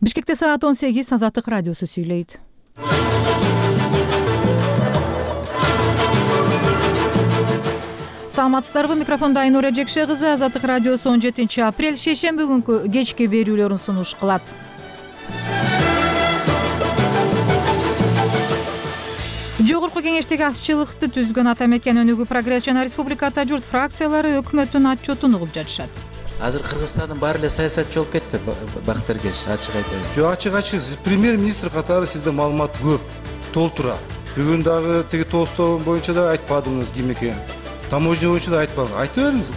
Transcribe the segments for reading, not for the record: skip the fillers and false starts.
Бишкекте саат 18 Азаттык радиосу сүйлөйт. Саламатсыздарбы? Микрофонда Айнура Жекше кызы. Азаттык радиосу 17 апрель шейшемби күнкү кечки берүүлөрүн сунуш кылат. Жогорку кеңештеги азчылыкты түзгөн ата мекен өнүгүү, прогресс жана республика ата журт фракциялары өкмөттүн отчетун угуп жатышат. Азыр Кыргызстандын баары эле саясатчы болуп кетти, Бактыргеш, ачык айтайын. Жок, ачык премьер-министр катары сизде маалымат көп, толтура. Бүгүн дагы тиги тоостоо боюнча да айтпадыңыз ким экенин. Таможня боюнча да айтпадыңыз. Айтып бериңиз.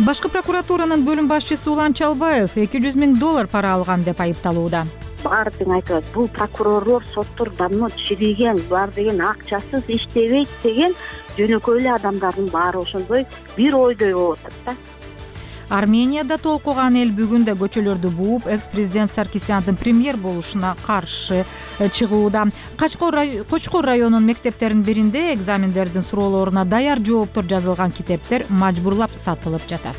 Башкы прокуратуранын бөлүм башчысы Улан Чалбаев $200 000 пара алган деп айыпталууда. Баардыгын айтып атат. Бул прокурорлор соттор давно чирийген, булар деген акчасыз иштебейт деген жөнөкөй эле адамдардын баары ошондой бир ойдой болуп атат да. Арменияда толкуган эл бүгүн да көчөлөрдү бууп, экс-президент Саркисяндын премьер болушуна каршы чыгууда. Кочкор районунун мектептеринин биринде экзамендердин суроолоруна даяр жооптор жазылган китептер мажбурлап сатылып жатат.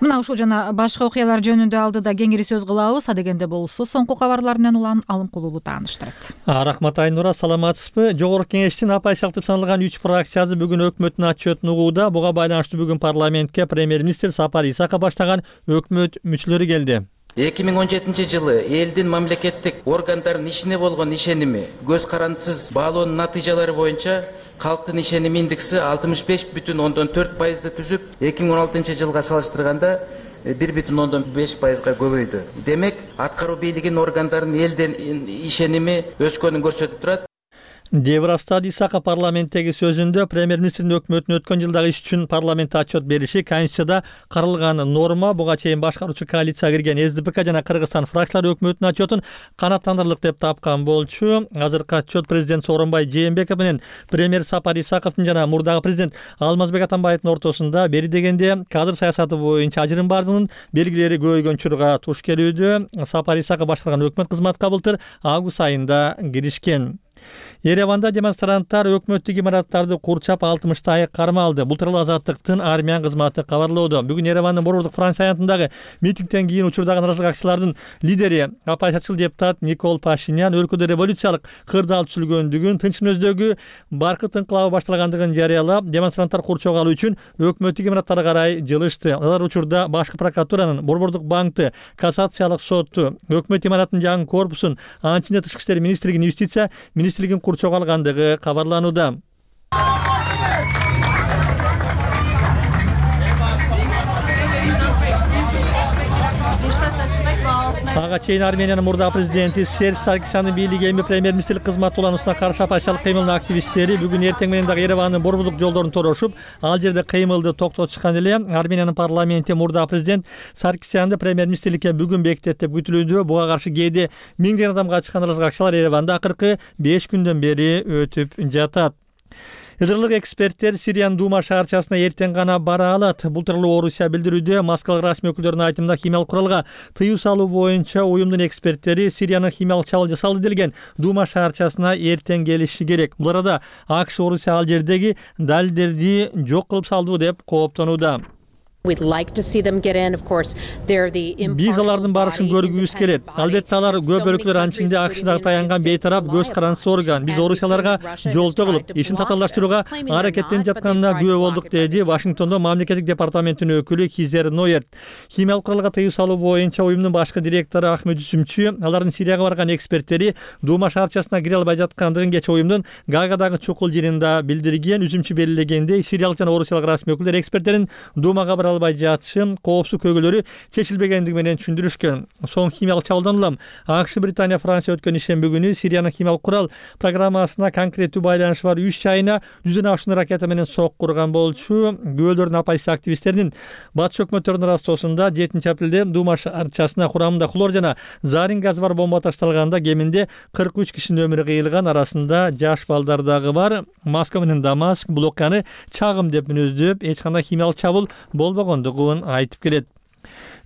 Мына ушул жана башка окуялар жөнүндө алдыда кеңири сөз кылабыз. Адегенде болсо соңку кабарлар менен Улан Алымкулуу тааныштырат. Рахмат Айнура, саламатсызбы? Жогорку кеңештин апайчылык деп саналган 3 фракциясы бүгүн өкмөттүн отчетун угууда. Буга байланыштуу бүгүн парламентке премьер-министр Сапар Исаков баштаган өкмөт мүчөлөрү келди. 2017 жылы элдин мамлекеттик органдардын ишине болгон ишеними көз карандысыз баалоонун натыйжалары боюнча калктын ишеними индекси 65,4%ды түзүп, 2016 жылга салыштырганда 1,5%га көбөйдү. Демек, аткаруу бийлигинин органдарын элдин ишеними өскөнүн көрсөтүп турат. деп ырастады Исаков парламенттеги сөзүндө. Премьер-министрдин өкмөттүн өткөн жылдагы иш үчүн парламентте отчет бериши Конституцияда каралган норма. Буга чейин башкаруучу коалицияга кирген СДПК жана Кыргызстан фракциялары өкмөттүн отчетун канааттандырырлык деп тапкан болчу. Азыркы отчет президент Сооронбай Жээнбеков менен премьер Сапар Исаковдун жана мурдагы президент Алмазбек Атамбаевдин ортосунда бери дегенде кадр саясаты боюнча ажырым бардыгынын белгилери көбөйгөн чурга туш келүүдө. Сапар Исаков башкарган өкмөт кызматка былтыр август айында киришкен. Ереванда демонстранттар өкмөттүк имараттарды курчап 60 карма алды. Бул тууралуу Азаттыктын армян кызматы кабарлоодо. Бүгүн Еревандын борбордук Франция аянтындагы митингден кийин учурдагы наразылыкчылардын лидери оппозициячыл депутат Никол Пашинян өлкөдө революциялык кырдаал түзүлгөндүгүн, тынч мүнөздөгү баркыт инкылабы башталгандыгын жарыялап, демонстранттар курчоого алуу үчүн өкмөттүк имараттарга карай жылышты. Алар учурда башкы прокуратуранын, борбордук банкты, кассациялык сотту, өкмөт имараттын жаңы корпусун, анын ичинде тышкы иштер министрлигин, юстиция министрлигин курчоого алгандыгы кабарланууда. Ага чейин Армениянын мурдагы президенти Серж Саркисяндын бийлиги эми премьер-министрлик кызматы улануусуна каршы оппозициялык кыймылдын активисттери бүгүн эртең менен дагы Еревандын борбордук жолдорун торошуп, ал жерде кыймылды токтотушкан эле. Армениянын парламенти мурдагы президент Саркисянды премьер-министрликке бүгүн бекитет деп күтүлүүдө. Буга каршы кээде миңдеген адамга чыккан наразылыкчылар Ереванда акыркы 5 күндөн бери өтүп жатат. Ырырлык эксперттер Сириянын Дума шаарчасына эртең гана бара алат. Бул тууралуу Орусия билдирүүдө. Москвалык расмий өкүлдөрдүн айтымында химиялык куралга тыюу салуу боюнча уюмдун эксперттери Сириянын химиялык чабуул жасалды делген Дума шаарчасына эртең келиши керек. Бул арада АКШ Орусия ал жердеги далилдерди жок кылып салды деп кооптонууда. Биз алардын барышын көргүбүз келет. Албетте алар көп өлкөлөр анчинде АКШдагы таянган бейтарап көз карандысыз орган. Биз Орусияларга жолтоо кылып, ишин татаалдаштырууга аракеттенип жатканына күбө болдук, деди Вашингтондо мамлекеттик департаменттин өкүлү Кизер Нойер. Химиялык куралга тыюу салуу боюнча уюмдун башкы директору Ахмед Үсүмчү алардын Сирияга барган эксперттери Дума шаарчасына кире албай жаткандыгын кечээ уюмдун Гаагадагы чукул жыйынында билдирген. Үсүмчү белгилегендей, сириялык жана орусиялык расмий өкүлдөр эксперттерин Думага бара албай жатышын коопсуз көйгөйлөрү чечилбегендиги менен түшүндүрүшкөн. Соң химиялык чабуулдан улам АКШ, Британия, Франция өткөн ишемби күнү Сириянын химиялык курал программасына конкреттүү байланышы бар 3 жайына 100 ашуун ракета менен сокку урган болчу. Күбөлөрдүн оппозиция активисттеринин батыш өкмөттөрүнүн растоосунда 7 апрелде Дума шаарчасына курамында хлор жана зарин газы бар бомба ташталганда кеминде 43 кишинин өмүрү кыйылган, арасында жаш балдар дагы бар. Москва менен Дамаск бул окуяны чагым деп мүнөздөп, эч кандай химиялык чабуул болбогондугун айтып келет.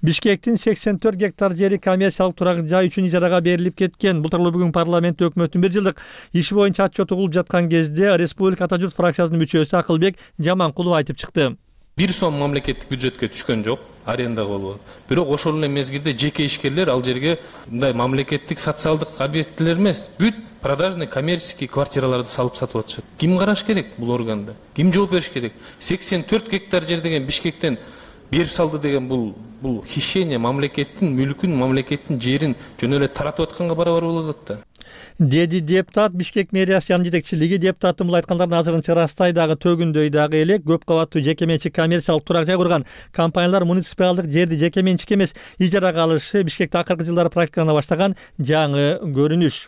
Бишкектин 84 гектар жери коммерциялык турак жай үчүн ижарага берилип кеткен. Бул тууралуу бүгүн парламентте өкмөттүн 1 жылдык иши боюнча отчет угулуп жаткан кезде Республика ата журт фракциясынын мүчөсү Акылбек Жаманкулов айтып чыкты. 1 сом мамлекеттик бюджетке түшкөн жок, арендага болгон. Бирок ошол эле мезгилде жеке ишкерлер ал жерге мындай мамлекеттик социалдык объектилер эмес, бүт продажный коммерческий квартираларды салып сатып атышат. Ким караш керек бул органда? Ким жооп бериш керек? 84 гектар жер деген Бишкектен берип салды деген бул хищение, мамлекеттин мүлкүн, мамлекеттин жерин жөн эле таратып атканга барабар болот да. Деди депутат. Бишкек мэриясынын жетекчилиги депутаттын бул айткандарын азырынча ырастай дагы төгүндөй дагы элек. Көп кабаттуу жеке менчик коммерциялык турак жай курган компаниялар муниципалдык жерди жеке менчикке эмес ижарага алышы Бишкекте акыркы жылдары практикалана баштаган жаңы көрүнүш.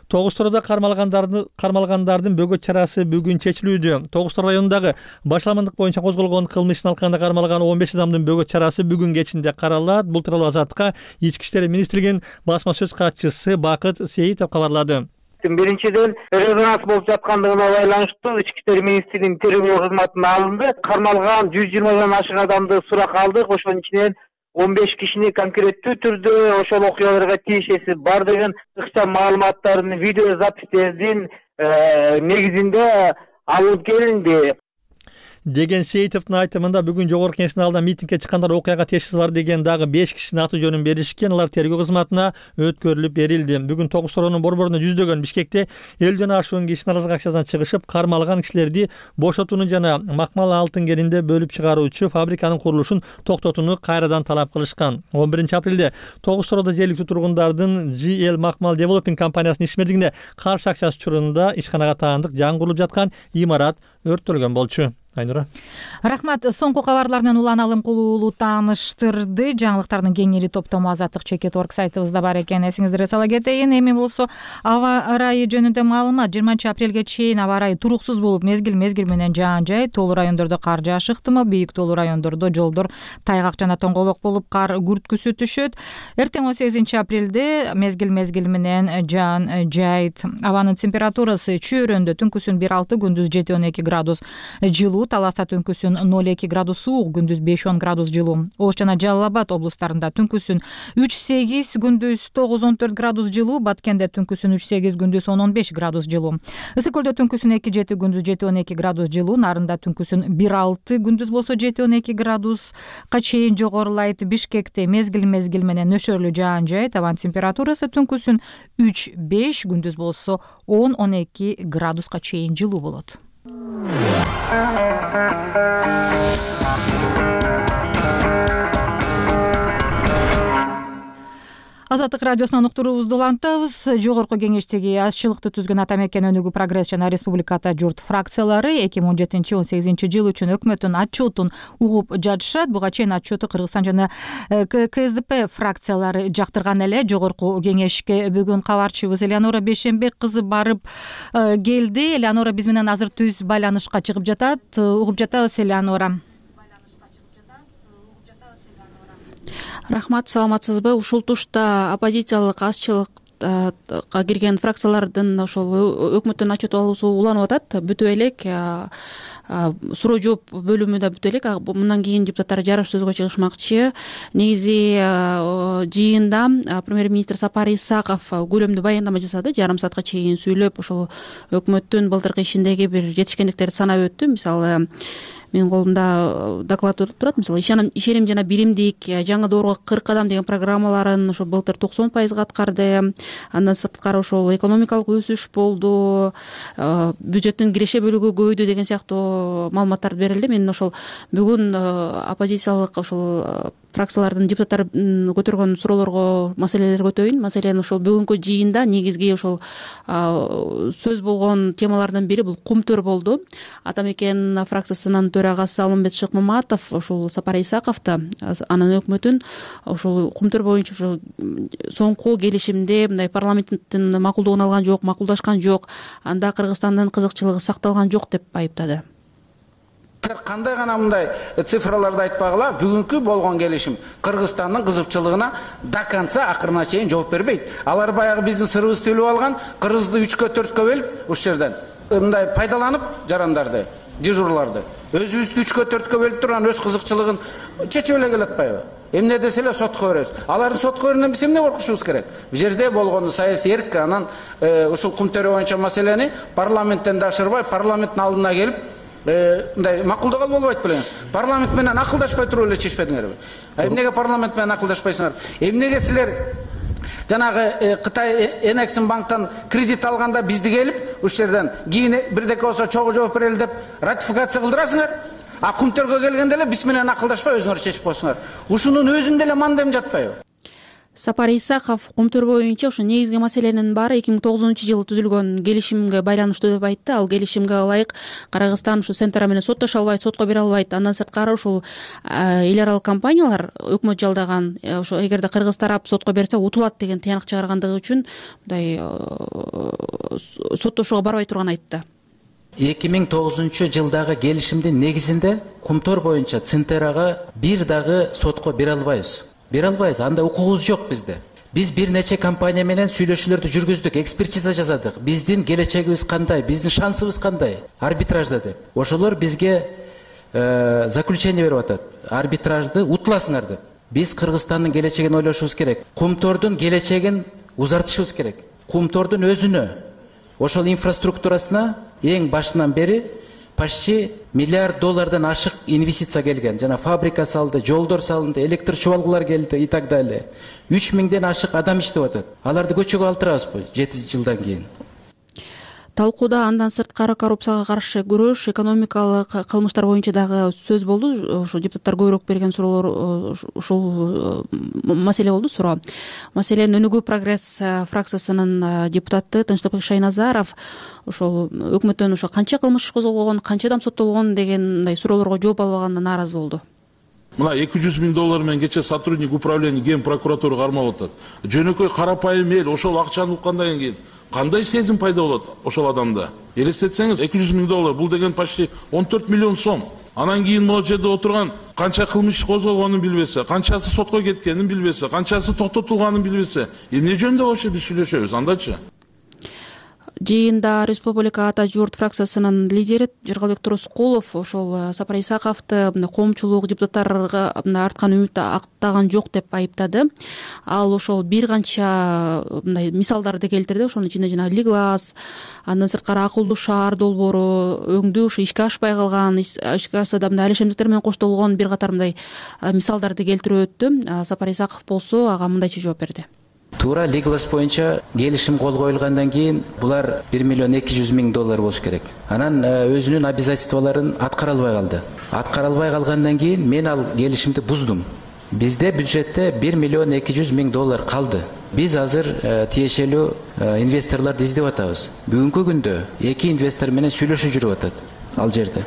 Тогуз Тороодо кармалгандардын бөгөт чарасы бүгүн чечилүүдө. Тогуз Тоо районундагы башаламандык боюнча козголгон кылмыштын алкагында кармалган 15 адамдын бөгөт чарасы бүгүн кечинде каралат. Бул тууралуу Азаттыкка Ички иштер министрлигинин басма сөз катчысы Бакыт Сейитов кабарлады. Биринчиден, резонанс болуп жаткандыгына байланыштуу Ички иштер министрлигинин тергөө кызматына алынды. Кармалган 120 ашык адамды сурак алдык. Ошонун ичинен 15 кишини конкреттүү түрдө ошол окуяларга тиешеси бардыгын ыкчам маалыматтардын, видео запистердин негизинде алып келинди деген Сейитовдун айтымында бүгүн жогорку кеңештин алдында митингге чыккандар окуяга тиешеси бар деген дагы 5 кишинин аты жөнүн беришкен. Алар тергөө кызматына өткөрүлүп берилди. Бүгүн Тогуз Тороонун борборуна жүздөгөн Бишкекте 50дөн ашуун киши наразылык акциясынан чыгышып, кармалган кишилерди бошотууну жана макмал алтын кенинде бөлүп чыгаруучу фабриканын курулушун токтотууну кайрадан талап кылышкан. 11 апрелде Тогуз Тороодо жергиликтүү тургундардын GL Макмал Developing компаниясынын ишмердигине каршы акциясы учурунда ишканага таандык жаңы курулуп жаткан имарат өрттөлгөн болчу. Айнура. Рахмат. Соңку кабарлар менен Улан Алымкул уулу тааныштырды. Жаңылыктардын кеңири топтому Азаттык Чекет.org сайтыбызда бар экен. Эсиңиздерге сала кетейин. Эми болсо аба ырайы жөнүндө маалымат. 20 апрелге чейин аба ырайы туруксуз болуп, мезгил менен жаан жай, тоолуу райондордо кар жааш ыктымал, бийик тоолуу райондордо жолдор тайгак жана тоңголок болуп кар күрткүсү түшөт. Эртең 18 апрелде мезгил менен жаан жайт. Абанын температурасы чөйрөндө түнкүсүн 1-6, күндүз 7-12 градус жылуу. Таласта түнкүсүн 0-2 градус суук, күндүз 5-10 градус жылуу. Ош жана Жалал Абад облустарында түнкүсүн 3-8, күндүз 9-14 градус жылуу. Баткенде түнкүсүн 3-8, күндүз 10-15 градус жылуу. Ысык көлдө түнкүсүн 2-7, күндүз 7-12 градус жылуу. Нарында түнкүсүн 1-6, күндүз болсо 7-12 градуска чейин жогорулайт. Бишкекте мезгил менен нөшөрлүү жаан жай. Табан температурасы түнкүсүн 3-5, күндүз болсо 10-12 градуска чейин жылуу болот. Азаттык радиосунан уктуруубузду улантабыз. Жогорку кеңештеги азчылыкты түзгөн ата мекен өнүгүү прогресс жана республиката журт фракциялары 2017-18 жыл үчүн өкмөттүн отчетун угуп жатышат. Буга чейин отчету Кыргызстан жана КСДП фракциялары жактырган эле. Жогорку кеңешке бүгүн кабарчыбыз Элеонора Бейшенбек кызы барып келди. Элеонора биз менен азыр түз байланышка чыгып жатат. Угуп жатабыз, Элеонора. Рахмат, саламатсызбы? Ушул тушта оппозициялык азчылыкка кирген фракциялардын ошол өкмөттүн отчет алуусу уланып атат. Бүтүп элек, суроо жооп бөлүмү да бүтүп элек. Мындан кийин депутаттар жарыш сөзгө чыгышмакчы. Негизи жыйында премьер-министр Сапар Исаков көлөмдүү баяндама жасады. Жарым саатка чейин сүйлөп, ошол өкмөттүн былтыркы ишиндеги бир жетишкендиктерди санап өттү. Мисалы, менин колумда доклад турат. Мисалы, ишеним жана биримдик, жаңы доорго 40 адам деген программаларын ошо былтыр 90% аткарды. Андан сырткары ошол экономикалык өсүш болду, бюджеттин киреше бөлүгү көбөйдү деген сыяктуу маалыматтар берилди. Мен ошол бүгүн оппозициялык ошол фракциялардын депутаттары көтөргөн суроолорго маселелерге өтөйүн. Маселен, ошол бүгүнкү жыйында негизги ошол сөз болгон темалардын бири бул кумтөр болду. Ата мекен фракциясынын төрагасы Алмамбет Шыкмаматов ошол Сапар Исаковду, анын өкмөтүн ошол кумтөр боюнча ошол соңку келишимде мындай парламенттин макулдугун алган жок, макулдашкан жок, анда Кыргызстандын кызыкчылыгы сакталган жок деп айыптады. Кандай гана мындай цифраларды айтпагыла, бүгүнкү болгон келишим Кыргызстандын кызыкчылыгына до конца акырына чейин жооп бербейт. Алар баягы биздин сырыбызды төлөп алган, кыргызды 3-4 бөлүп, уш жерден мындай пайдаланып жарандарды, дежурларды өзүбүздү 3-4 бөлүп турган өз кызыкчылыгын чечип эле келе атпайбы? Эмне десе эле сотко беребиз. Алардын сотко берүүнөн биз эмне коркушубуз керек? Бул жерде болгону саясий эрк, анан ушул кумтөр боюнча маселени парламенттен да ашырбай, парламенттин алдына келип мындай макулдук алып албайт белеңиз. Парламент менен акылдашпай туруп эле чечпедиңерби? Эмнеге парламент менен акылдашпайсыңар? Эмнеге силер жанагы Кытай Энексим банктан кредит алганда бизди келип ушул жерден кийин бирдеке болсо чогуу жооп берели деп ратификация кылдырасыңар? А Кумтөргө келгенде эле биз менен акылдашпай өзүңөр чечип коесуңар. Ушунун өзүндө эле мандем жатпайбы? Сапар Исаков Кумтөр боюнча ушу негизги маселенин баары 2009-жылы түзүлгөн келишимге байланыштуу деп айтты. Ал келишимге ылайык Кыргызстан ушу Сентара менен соттоша албайт, сотко бере албайт. Андан сырткары ушул эл аралык компаниялар өкмөт жалдаган ошо эгерде кыргыз тарап сотко берсе утулат деген тыянак чыгаргандыгы үчүн мындай соттошууга барбай турганын айтты. 2009-жылдагы келишимдин негизинде Кумтөр боюнча Центерага бир дагы сотко бере албайбыз. Бере албайбыз, анда укугубуз жок бизде. Биз бир нече компания менен сүйлөшүүлөрдү жүргүздүк, экспертиза жасадык. Биздин келечегибиз кандай, биздин шансыбыз кандай арбитражда деп. Ошолор бизге заключение берип атат. Арбитражды утуласыңар деп. Биз Кыргызстандын келечегин ойлошубуз керек. Кумтордун келечегин узартышыбыз керек. Кумтордун өзүнө, ошол инфраструктурасына эң башынан бери почти $1 миллиард ашык инвестиция келген. Жана фабрика салды, жолдор салынды, электр чубалгылар келди и так далее. 3000ден ашык адам иштеп атат. Аларды көчөгө алтырабызбы 7 жылдан кийин? Талкууда андан сырткары коррупцияга каршы күрөш, экономикалык кылмыштар боюнча дагы сөз болду. Ошо депутаттар көбүрөөк берген суроолор ушул маселе болду, суроо. Маселен Өнүгүү прогресс фракциясынын депутаты Тынчтыкбек Шайназаров ошол өкмөттөн ошо канча кылмыш иш козголгон, канча адам соттолгон дегендей суроолорго жооп албаганына нааразы болду. Мына $200 миң менен кече сотрудник управления ген прокуратурага кармап атат. Жөнөкөй карапайым эл ошол акчаны уккандан кийин кандай сезим пайда болот ошол адамда? Элестетсеңиз, $200 миң бул деген почти 14 миллион сом. Анан кийин могу жерде отурган канча кылмыш козголгонун билбесе, канчасы сотко кеткенин билбесе, канчасы токтотулганын билбесе, эмне жөнүндө вообще биз сүйлөшөбүз андачы? Жыйында Республика Ата журт фракциясынын лидери Жыргалбек Турускулов ошол Сапар Исаковду коомчулук депутаттарга арткан үмүт актаган жок деп айыптады. Ал ошол бир канча мындай мисалдарды келтирди. Ошонун ичинде жана Лиглас, андан сырткары акылдуу шаар долбоору, өңдүү ушу ишке ашпай калган, ишке ашса да мындай алишемдиктер менен коштолгон бир катар мындай мисалдарды келтирип өттү. Сапар Исаков болсо ага мындайча жооп берди. Туура Лиглас боюнча келишим кол коюлгандан кийин булар $1,2 миллион болуш керек. Анан өзүнүн обязательстволорун аткара албай калды. Аткара албай калгандан кийин мен ал келишимди буздум. Бизде бюджетте $1,2 миллион калды. Биз азыр тиешелүү инвесторлорду издеп атабыз. Бүгүнкү күндө 2 инвестор менен сүйлөшүп жүрүп атат ал жерде.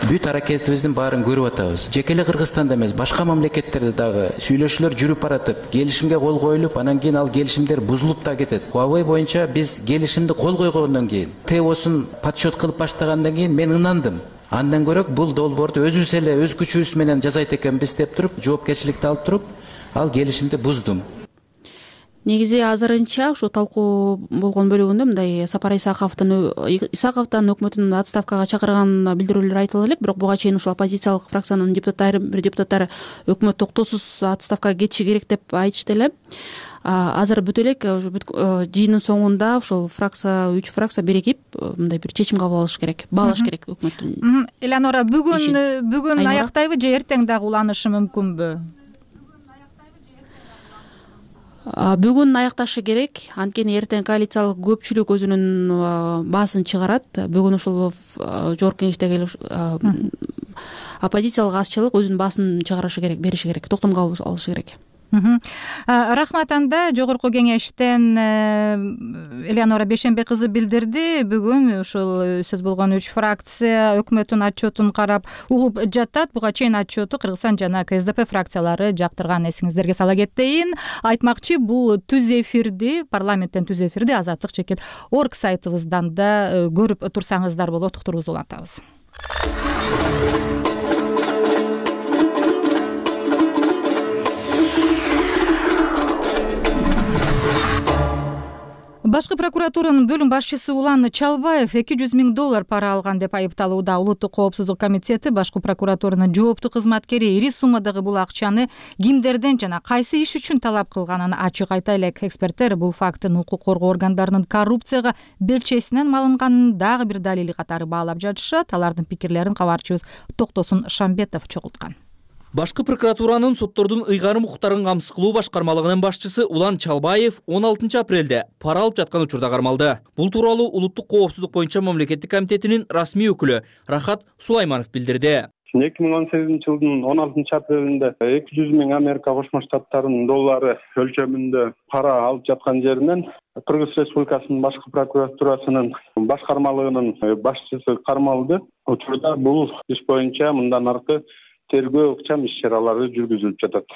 Бүт аракетибиздин баарын көрүп атабыз. Жеке эле Кыргызстанда эмес, башка мамлекеттерде дагы сүйлөшүүлөр жүрүп баратып, келишимге кол коюлуп, анан кийин ал келишимдер бузулуп да кетет. Huawei боюнча биз келишимди кол койгондон кийин, ТОсун подсчет кылып баштагандан кийин мен ынандым. Андан көрөк бул долбоорду өзүбүз эле өз күчүбүз менен жасайт экенбиз деп туруп, жоопкерчиликти алып туруп, ал келишимди буздум. Негизи азырынча ушу талкуу болгон бөлүгүндө мындай Сапар Исаковдун өкмөтүнүн отставкага чакырган билдирүүлөр айтылып элек, бирок буга чейин ушул оппозициялык фракциянын депутаттары өкмөт токтоосуз отставкага кетиши керек деп айтышты эле. Азыр бүт элек жыйындын соңунда ушул фракция 3 фракция биригип мындай бир чечим кабыл алыш керек, баалаш керек өкмөттүн. Элеонора, бүгүн аяктайбы же эртең дагы уланышы мүмкүнбү? Бүгүн аякташы керек, анткени эртең коалициялык көпчүлүк өзүнүн баасын чыгарат. Бүгүн ушул жогорку кеңештеги оппозициялык азчылык өзүнүн баасын чыгарышы керек, бериши керек, токтомго алышы керек. Рахмат. Анда жогорку кеңештен Элеонора Бейшенбек кызы билдирди. Бүгүн ушул сөз болгон 3 фракция өкмөттүн отчетун карап угуп жатат. Буга чейин отчету Кыргызстан жана КСДП фракциялары жактырган. Эсиңиздерге сала кетейин. Айтмакчы, бул түз эфирди, парламенттен түз эфирди Азаттык чекит орг сайтыбыздан да көрүп турсаңыздар болот. Уктуруубузду улантабыз. Башкы прокуратуранын бөлүм башчысы Улан Чалбаев $200,000 пара алган деп айыпталууда. Улуттук коопсуздук комитети башкы прокуратуранын жооптуу кызматкери ири суммадагы бул акчаны кимдерден жана кайсы иш үчүн талап кылганын ачык айта элек. Эксперттер бул фактын укук коргоо органдарынын коррупцияга белчесинен малынганын дагы бир далили катары баалап жатышат. Алардын пикирлерин кабарчыбыз Токтосун Шамбетов чогулткан. Башкы прокуратуранын соттордун ыйгарым укуктарын камсыз кылуу башкармалыгынын башчысы Улан Чалбаев 16 апрелде пара алып жаткан учурда кармалды. Бул тууралуу Улуттук коопсуздук боюнча мамлекеттик комитетинин расмий өкүлү Рахат Сулайманов билдирди. 2018-жылдын 16 апрелинде 200,000 Америка Кошмо Штаттарынын доллары өлчөмүндө пара алып жаткан жеринен Кыргыз Республикасынын башкы прокуратурасынын башкармалыгынын башчысы кармалды. Учурда бул иш боюнча мындан аркы тергөө ыкчам иш-чаралары жүргүзүлүп жатат.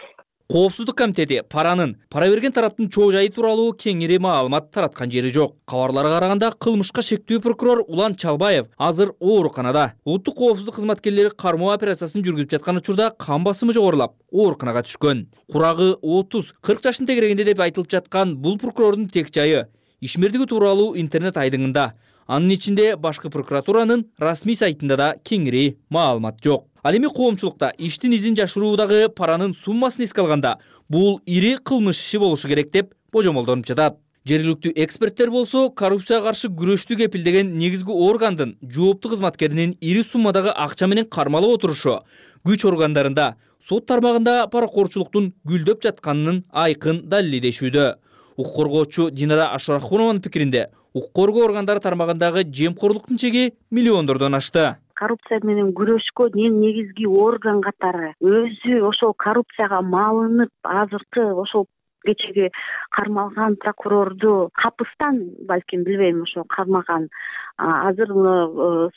Коопсуздук комитети пара берген тараптын чоо жайы тууралуу кеңири маалымат тараткан жери жок. Кабарларга караганда кылмышка шектүү прокурор Улан Чалбаев азыр ооруканада. Улуттук коопсуздук кызматкерлери кармоо операциясын жүргүзүп жаткан учурда кан басымы жогорулап, ооруканага түшкөн. Курагы 30-40 жаштын тегерегинде деп айтылып жаткан бул прокурордун тек жайы ишмердиги тууралуу интернет айдыңында. Анын ичинде башкы прокуратуранын расмий сайтында да кеңири маалымат жок. Ал эми коомчулукта иштин изин жашыруудагы паранын суммасын эске алганда бул ири кылмыш иши болушу керек деп божомолдонуп жатат. Жергиликтүү эксперттер болсо коррупцияга каршы күрөштү кепилдеген негизги органдын жооптуу кызматкеринин ири суммадагы акча менен кармалып отурушу күч органдарында, сот тармагында паракорчулуктун гүлдөп жатканынын айкын далилдешүүдө. Укук коргоочу Динара Ашрахунованын пикиринде укук коргоо органдары тармагындагы жемкорлуктун чеги миллиондордон ашты. Коррупция менен күрөшкөн эң негизги орган катары өзү ошол коррупцияга малынып азыркы ошол кечеги кармалган прокурорду капыстан балким билбейм ошо кармаган. Азыр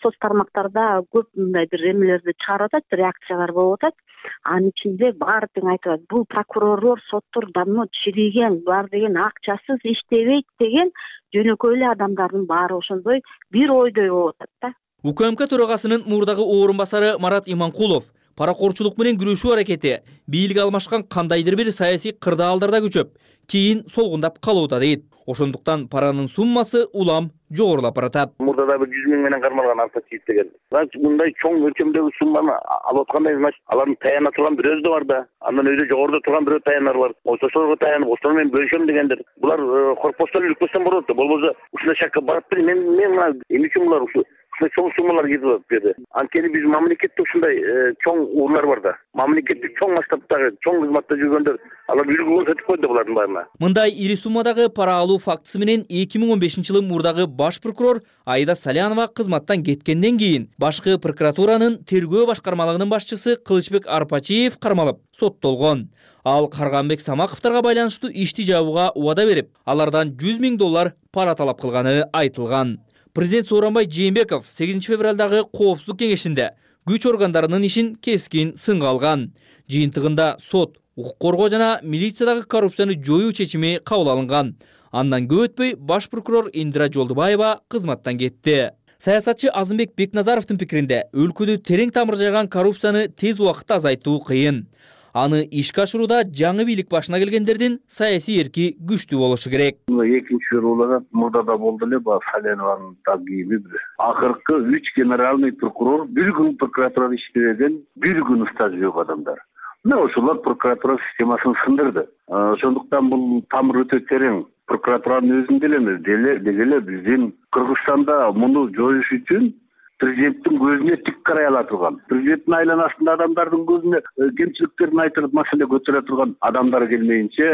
соц тармактарда көп мындай бир эмелерди чыгарып атат, реакциялар болуп атат. Анын ичинде баары тең айтып атат. Бул прокурорлор, соттор давно чириген, булар деген акчасыз иштебейт деген жөнөкөй эле адамдардын баары ошондой бир ойдой болуп атат да. УКМК төрагасынын мурдагы орун басары Марат Иманкулов паракорчулук менен күрөшүү аракети бийлик алмашкан кандайдыр бир саясий кырдаалдарда күчөп, кийин солгундап калууда дейт. Ошондуктан паранын суммасы улам жогорулап баратат. Мурда да 100,000 менен кармалган Арпатиев деген. Мындай чоң өлчөмдөгү сумманы алып аткандай, алардын таяна турган бирөөсү да бар да. Андан өзү жогоруда турган бирөө таянар бар. Ошолорго таянып, ошол менен бөлүшөм дегендер. Булар корпустан үлкөстөн болот да. Болбосо ушундай шакка барып бир мен эмне үчүн булар ушул чоң суммалар кетип берди. Анткени биз мамлекетте ушундай чоң урлар бар да. Мамлекеттик чоң масштабтагы чоң кызматта жүргөндөр алар үлгү өтүп койду булардын баарына. Мындай ири суммадагы пара алуу фактысы менен 2015-жылы мурдагы баш прокурор Айда Салянова кызматтан кеткенден кийин башкы прокуратуранын тергөө башкармалыгынын башчысы Кылычбек Арпачиев кармалып соттолгон. Ал Карганбек Самаковторго байланыштуу ишти жабууга убада берип, алардан $100,000 пара талап кылганы айтылган. Президент Сооронбай Жээнбеков 8 февралдагы коопсуздук кеңешинде күч органдарынын ишин кескин сынга алган. Жыйынтыгында сот, укук коргоо жана милициядагы коррупцияны жоюу чечими кабыл алынган. Андан көп өтпөй баш прокурор Индира Жолдубаева кызматтан кетти. Саясатчы Азымбек Бекназаровдун пикиринде өлкөдө терең тамыр жайган коррупцияны тез убакытта азайтуу кыйын. Аны ишке ашырууда жаңы бийлик башына келгендердин саясий эрки күчтүү болушу керек. Экинчи жолу мурда да болду эле, Салянованын кийими бир. Акыркы 3 генеральный прокурор бир күн прокуратурада иштебеген, бир күн стажы жок адамдар. Мына ошолор прокуратура системасын сындырды. Ошондуктан бул тамыр өтө терең. Прокуратуранын өзүндө эле деле биздин Кыргызстанда муну жоюш үчүн президенттин көзүнө тик карай ала турган, президенттин айланасында адамдардын көзүнө кемчиликтерин айтып маселе көтөрө турган адамдар келмейинче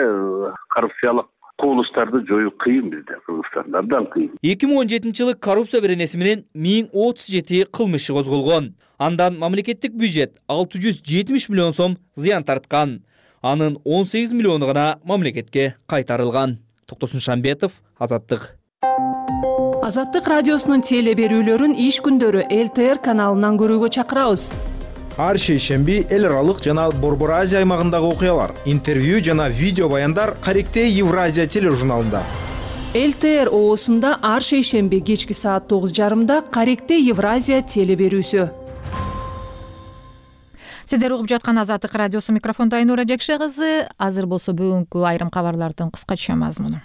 коррупциялык кубулуштарды жоюу кыйын бизде, Кыргызстанда абдан кыйын. 2017-жылы коррупция беренеси менен 1037 кылмыш иши козголгон. Андан мамлекеттик бюджет 670 миллион сом зыян тарткан. Анын 18 миллиону гана мамлекетке кайтарылган. Токтосун Шамбетов, Азаттык. Азаттык радиосунун теле берүүлөрүн иш күндөрү ЛТР каналынан көрүүгө чакырабыз. Ар шейшемби эл аралык жана Борбор Азия аймагындагы окуялар, интервью жана видео баяндар Каректей Евразия тележурналында. ЛТР оосунда ар шейшемби кечки саат 9:30 Каректей Евразия теле берүүсү. Сиздер угуп жаткан Азаттык радиосу, микрофондо Айнура Жекше кызы. Азыр болсо бүгүнкү айрым кабарлардын кыскача мазмуну.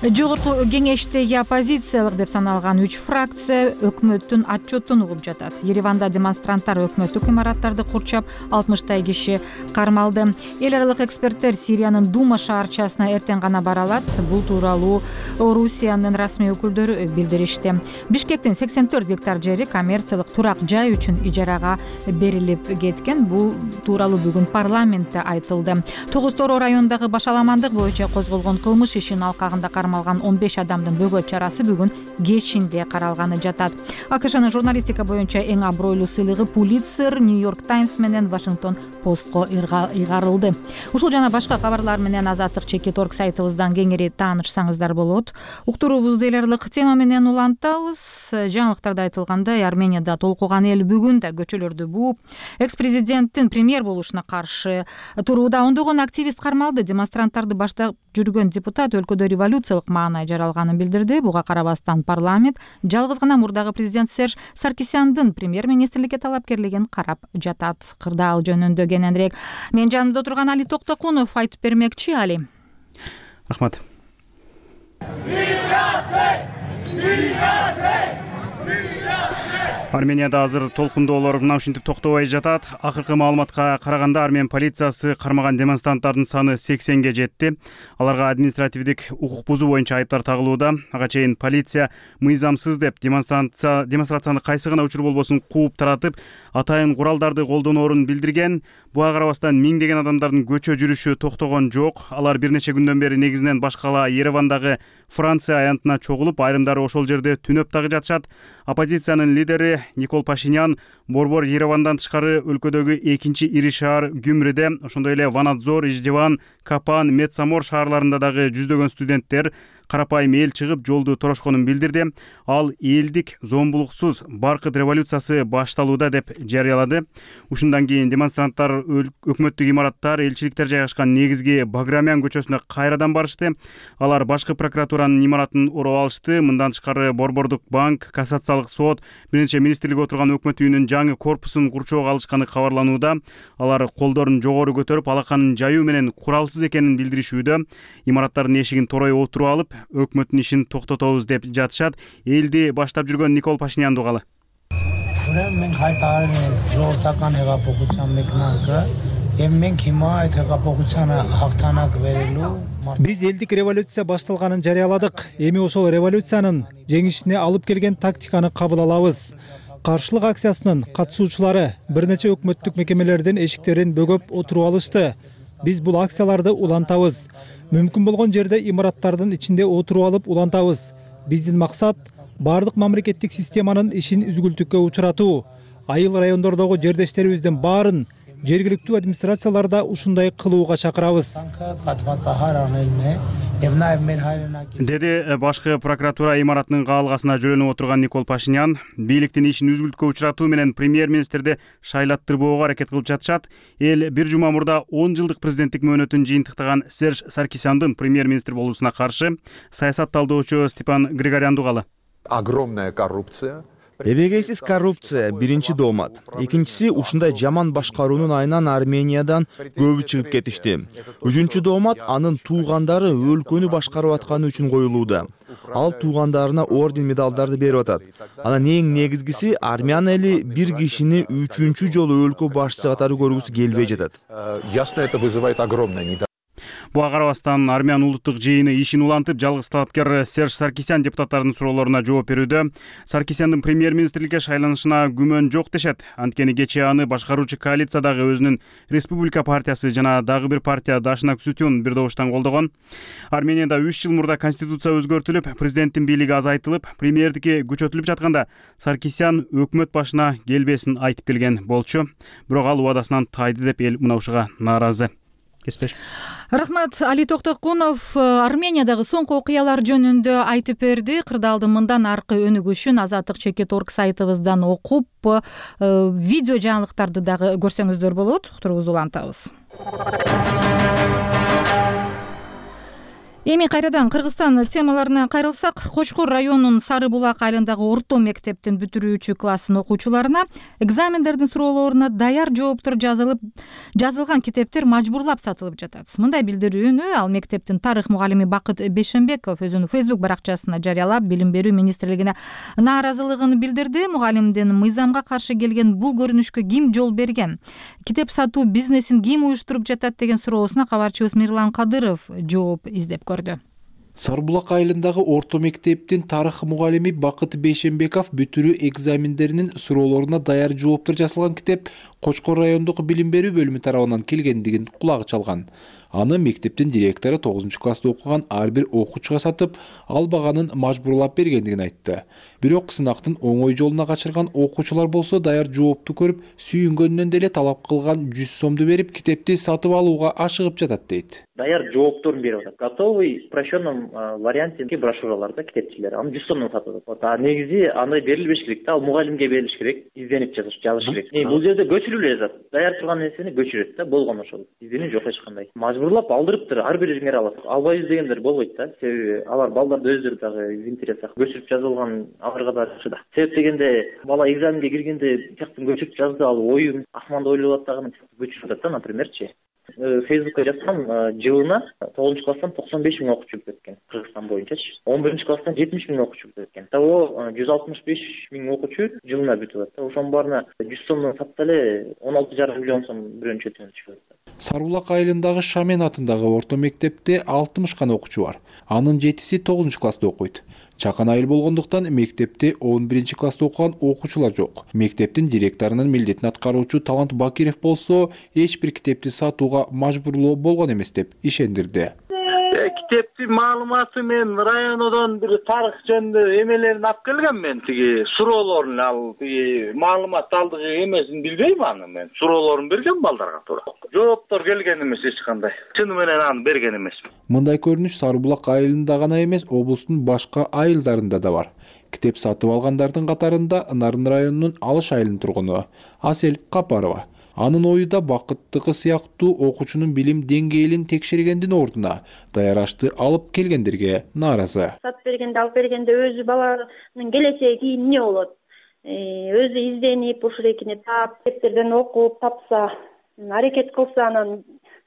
Жогорку кеңештеги оппозициялык деп саналган 3 фракция өкмөттүн отчетун угуп жатат. Ереванда демонстранттар өкмөттүк имараттарды курчап, 60 киши кармалды. Эл аралык эксперттер Сириянын Дума шаарчасына эртең гана бара алат. Бул тууралуу Орусиянын расмий өкүлдөрү билдиришти. Бишкектин 84 гектар жери коммерциялык турак жай үчүн ижарага берилип кеткен. Бул тууралуу бүгүн парламентте айтылды. Тогуз-Тороо районундагы башаламандык боюнча козголгон кылмыш ишинин алкагында кармалган 15 адамдын бөгөт чарасы бүгүн кечинде каралганы жатат. АКШнын журналистика боюнча эң абройлуу сыйлыгы Пулитцер, Нью-Йорк Таймс менен Вашингтон Постко ыйгарылды. Ушул жана башка кабарлар менен Азаттык /org сайтыбыздан кеңири таанышсаңыздар болот. Уктуруубузду эл аралык тема менен улантабыз. Жаңылыктарда айтылгандай, Арменияда толкуган эл бүгүн да көчөлөрдү бууп, экс-президенттин премьер болушуна каршы турууда ондогон активист кармалды. Демонстранттарды баштап жүргөн депутат өлкөдө революциялык маанай жаралганын билдирди. Буга карабастан парламент жалгыз гана мурдагы президент Серж Саркисяндын премьер-министрликке талапкерлигин карап жатат. Кырдаал жөнүндө кененирээк мен жанымда отурган Али Токтокунов айтып бермекчи. Али. Рахмат. Арменияда азыр толкундоолор мына ушинтип токтобой жатат. Акыркы маалыматка караганда Армен полициясы кармаган демонстранттардын саны 80ге жетти. Аларга административдик укук бузуу боюнча айыптар тагылууда. Ага чейин полиция мыйзамсыз деп демонстрацияны кайсы гана учур болбосун кууп таратып, атайын куралдарды колдоноорун билдирген. Буга карабастан миңдеген адамдардын көчө жүрүшү токтогон жок. Алар бир нече күндөн бери негизинен баш кала Еревандагы Франция аянтына чогулуп, айрымдары ошол жерде түнөп дагы жатышат. Оппозициянын лидери Никол Пашинян борбор Еревандан тышкары өлкөдөгү экинчи ири шаар Гюмриде, ошондой эле Ванадзор, Иждиван, Капан, Медсамор шаарларында дагы жүздөгөн студенттер карапайым эл чыгып жолду торошконун билдирди. Ал элдик зомбулуксуз баркыт революциясы башталууда деп жарыялады. Ушундан кийин демонстранттар өкмөттүк имараттар, элчиликтер жайгашкан негизги Баграмян көчөсүнө кайрадан барышты. Алар башкы прокуратуранын имаратын ороп алышты. Мындан тышкары Борбордук банк, кассациялык сот, бир нече министрлик отурган өкмөт үйүнүн жаңы корпусун курчоого алышканы кабарланууда. Алар колдорун жогору көтөрүп, алаканын жаюу менен куралсыз экенин билдиришүүдө. Имараттардын эшигин торой отуруп алып, өкмөттүн ишин токтотобуз деп жатышат. Элди баштап жүргөн Никол Пашинян дугалы. Мен кайтарып жортакан хегапокучан мекнанка, мен кима хегапокучана хактанак берилүү. Биз элдик революция башталганын жарыяладык. Эми ошол революциянын жеңишине алып келген тактиканы кабыл алабыз. Каршылык акциясынын катышуучулары бир нече өкмөттүк мекемелердин эшиктерин бөгөп отуруп алышты. Биз бул акцияларды улантабыз. Мүмкүн болгон жерде имараттардын ичинде отуруп алып улантабыз. Биздин максат бардык мамлекеттик системанын ишин үзгүлтүккө учуратуу. Айыл райондордогу жердештерибиздин баарын жергиликтүү администрацияларда ушундай кылууга чакырабыз. Деди башкы прокуратура имаратынын каалгасына жөлөнүп отурган Никол Пашинян. Бийликтин ишин үзгүлткө учуратуу менен премьер-министрди шайлаттырбоого аракет кылып жатышат. Эл бир жума мурда 10 жылдык президенттик мөөнөтүн жыйынтыктаган Серж Саркисяндын премьер-министр болуусуна каршы саясат талдоочу Степан Григорян дугалы. Огромная коррупция. Эбегейсиз коррупция биринчи доомат. Экинчиси ушундай жаман башкаруунун айынан Армениядан көбү чыгып кетишти. Үчүнчү доомат анын туугандары өлкөнү башкарып атканы үчүн коюлууда. Ал туугандарына орден медалдарды берип атат. Анан эң негизгиси армян эли бир кишини 3-чү жолу өлкө башчысы катары көргүсү келбей жатат. Ясно, это вызывает огромное недовольство. Буга карабастан Армян улуттук жыйыны ишин улантып, жалгыз талапкер Серж Саркисян депутаттардын суроолоруна жооп берүүдө. Саркисяндын премьер-министрликке шайланышына күмөн жок дешет. Анткени кечээ аны башкаруучу коалициядагы өзүнүн Республика партиясы жана дагы бир партия Дашнак Сүтүн бир добуштан колдогон. Арменияда 3 жыл мурда конституция өзгөртүлүп, президенттин бийлиги азайтылып, премьердикке күчөтүлүп жатканда Саркисян өкмөт башына келбесин айтып келген болчу. Бирок ал убадасынан тайды деп эл мына ушуга нааразы. Рахмат. Али Токтокунов Армениядагы соңку окуялар жөнүндө айтып берди. Кырдаалдын мындан аркы өнүгүшүн Азаттык /org сайтыбыздан окуп, видео жаңылыктарды дагы көрсөңүздөр болот. Уктуруубузду улантабыз. Эми кайрадан Кыргызстан темаларына кайрылсак, Кочкор районунун Сары Булак айылындагы орто мектептин бүтүрүүчү класстын окуучуларына экзамендердин суроолоруна даяр жооптор жазылган китептер мажбурлап сатылып жатат. Мындай билдирүүнү ал мектептин тарых мугалими Бакыт Бейшембеков өзүнүн Facebook баракчасына жарыялап, билим берүү министрлигине нааразылыгын билдирди. Мугалимдин мыйзамга каршы келген бул көрүнүшкө ким жол берген? Китеп сатуу бизнесин ким уюштуруп жатат деген суроосуна кабарчыбыз Мирлан Кадыров жооп издеп көрдү. Сарыбулак айылындагы орто мектептин тарых мугалими Бакыт Бейшембеков бүтүрүү экзамендеринин суроолоруна даяр жооптор жазылган китеп Кочкор райондук билим берүү бөлүмү тарабынан келгендигин кулагы чалган. Аны мектептин директору 9-класста окуган ар бир окуучуга сатып, албаганын мажбурлап бергендигин айтты. Бирок сынактын оңой жолуна качырган окуучулар болсо даяр жоопту көрүп, сүйүнгөнүнөн деле талап кылган 100 сомду берип, китепти сатып алууга ашыгып жатат дейт. Даяр жоопторун берип атат. Готовый в упрощенном варианте брошюраларда китепчилер аны 100 сомдон сатып атат. А негизи андай берилбеш керек да, ал мугалимге берилиш керек, изденип жазыш керек. Бул жерде көчүрүлүп жазат. Даяр турган нерсени көчүрөт да, болгон ошол. Изденүү жок эч кандай. Мажбурлап алдырыптыр, ар бириңер алат. Албайбыз дегендер болбойт да. Себеби алар балдарды өздөрү дагы интересак көчүрүп жазылган аларга да жакшы да. Себеп дегенде бала экзаменге киргенде тияктан көчүрүп жазды, ал оюн асманда ойлоп атпаган көчүрүп атат да, напримерчи. Фейсбукка жазсам, жылына 9-класстан 95 миң окуучу бүтөт Кыргызстан боюнчачы. 11-класстан 70 миң окуучу бүтөт. Того 165 миң окуучу жылына бүтүп атат. Ошонун баарына 100 сомдон сатса эле 16,5 миллион сом бирөөнчү өтөнүп чыгат. Сарыбулак айылындагы Шамен атындагы орто мектепте 60 гана окуучу бар. Анын 7-си 9-класста окуйт. Чакан айыл болгондуктан мектепте 11-класста окуган окуучулар жок. Мектептин директорунун милдетин аткаруучу Талант Бакиров болсо, эч бир китепти сатууга мажбурлоо болгон эмес деп ишендирди. Китептин маалыматы мен районодон бир тарых жөнүндө эмелерин алып келгем мен, тиги суроолорун ал тиги маалымат алдыгы эмесин билбейм аны мен. Суроолорун берген балдарга туура. Жооптор келген эмес эч кандай. Чыны менен аны берген эмес. Мындай көрүнүш Сарыбулак айылында гана эмес, облустун башка айылдарында да бар. Китеп сатып алгандардын катарында Нарын районунун Алыш айылынын тургуну Асель Капарова. Анын оюда Бакыттыкы сыяктуу окуучунун билим деңгээлин текшергендин ордуна даяр ашты алып келгендерге нааразы. Сатып бергенде, алып бергенде өзү баланын келечеги эмне болот? Өзү изденип, ушул экини таап, китептерден окуп, тапса, аракет кылса,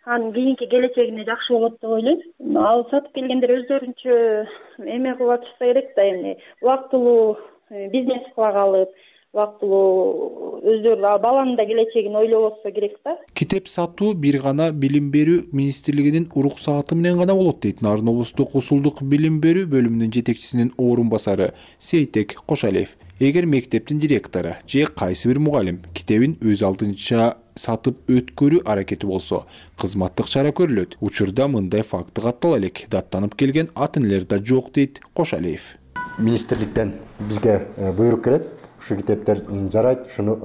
анын кийинки келечегине жакшы болот деп ойлойм. Ал сатып келгендер өздөрүнчө эме кылып атышса керек да, эми убактылуу бизнес кыла калып, убактылуу өздөрү баланын да келечегин ойлоп атса керек да. Китеп сатуу бир гана билим берүү министрлигинин уруксааты менен гана болот дейт Нарын облустук усулдук билим берүү бөлүмүнүн жетекчисинин орун басары Сейтек Кошалиев. Эгер мектептин директору же кайсы бир мугалим китебин өз алдынча сатып өткөрүү аракети болсо, кызматтык чара көрүлөт. Учурда мындай факты каттала элек, даттанып келген ат энелер да жок дейт Кошалиев. Министрликтен бизге буйрук келет. Ушу китептер жарайт, ушуну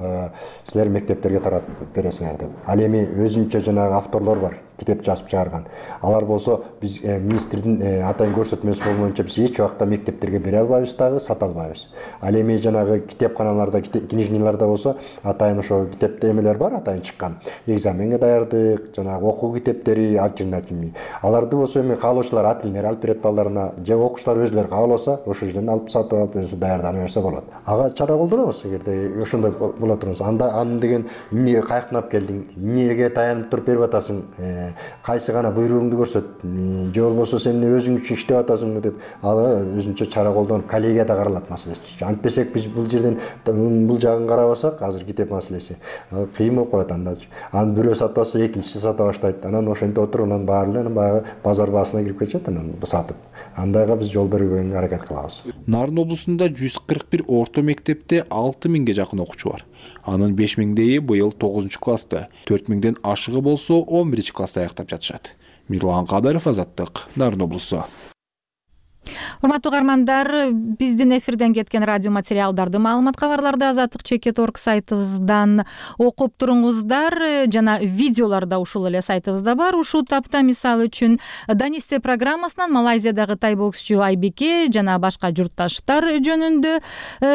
силер мектептерге таратып бересиңер деп. Ал эми өзүнчө жанагы авторлор бар, китеп жазып чыгарган. Алар болсо биз министрдин атайын көрсөтмөсү болмоюнча биз эч убакта мектептерге бере албайбыз дагы, сата албайбыз. Ал эми жанагы китепканаларда, книжныйларда болсо атайын ошо китепте эмелер бар, атайын чыккан. Экзаменге даярдык, жанагы окуу китептери, альтернативный. Аларды болсо эми каалоочулар ат элдер алып берет балдарына, же окуучулар өзүлөрү кааласа, ошол жерден алып сатып алып өзү даярдана берсе болот. Ага чара колдонобуз эгерде ошондой боло турса. Аны деген эмнеге каяктан алып келдиң, эмнеге таянып туруп берип атасың, кайсы гана буйругуңду көрсөт, же болбосо сен өзүң үчүн иштеп атасыңбы деп ага өзүнчө чара колдонуп коллегияда каралат маселеси түшчү. Антпесек биз бул жерден бул жагын карабасак, азыр китеп маселеси кыйын болуп калат анда. Аны бирөө сатып алса, экинчиси сата баштайт. Анан ошентип отуруп, анан баары эле баягы базар баасына кирип кетет, анан сатып. Андайга биз жол бербөгөнгө аракет кылабыз. Нарын облусунда 141 орто мектепте 6000ге жакын окуучу бар. Анын 5000дейи быйыл 9-класста, 4000ден ашыгы болсо 11-класста аяктап жатышат. Мирлан Кадыров, Азаттык, Нарын облусу. Урматтуу угармандар, биздин эфирден кеткен радио материалдарды, маалымат кабарларды Азаттык Чекет.org сайтыбыздан окуп туруңуздар, жана видеолор да ушул эле сайтыбызда бар. Ушул тапта мисалы үчүн Данисте программасынан Малайзиядагы тай боксчу Айбике жана башка журтташтар жөнүндө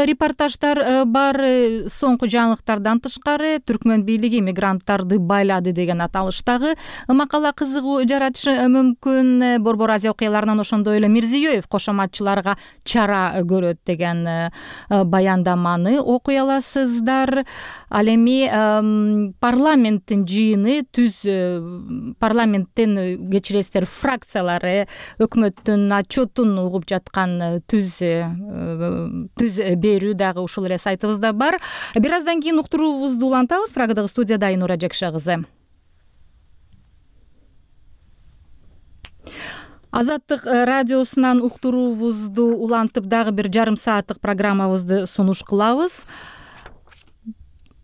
репортаждар бар. Соңку жаңылыктардан тышкары түркмөн бийлиги мигранттарды байлады деген аталыштагы макала кызыгуу жаратышы мүмкүн. Борбор Азия окуяларынан ошондой эле Мирзиёев кошоматчыларга чара көрөт деген баяндаманы окуй аласыздар. Ал эми парламенттин жыйыны парламенттен кечиресиздер фракциялары өкмөттүн отчетун угуп жаткан түз берүү дагы ушул эле сайтыбызда бар. Бир аздан кийин уктуруубузду улантабыз. Прагадагы студияда Айнура Жекше кызы. Азаттык радиосунан уктуруубузду улантып дагы бир жарым сааттык программабызды сунуш кылабыз.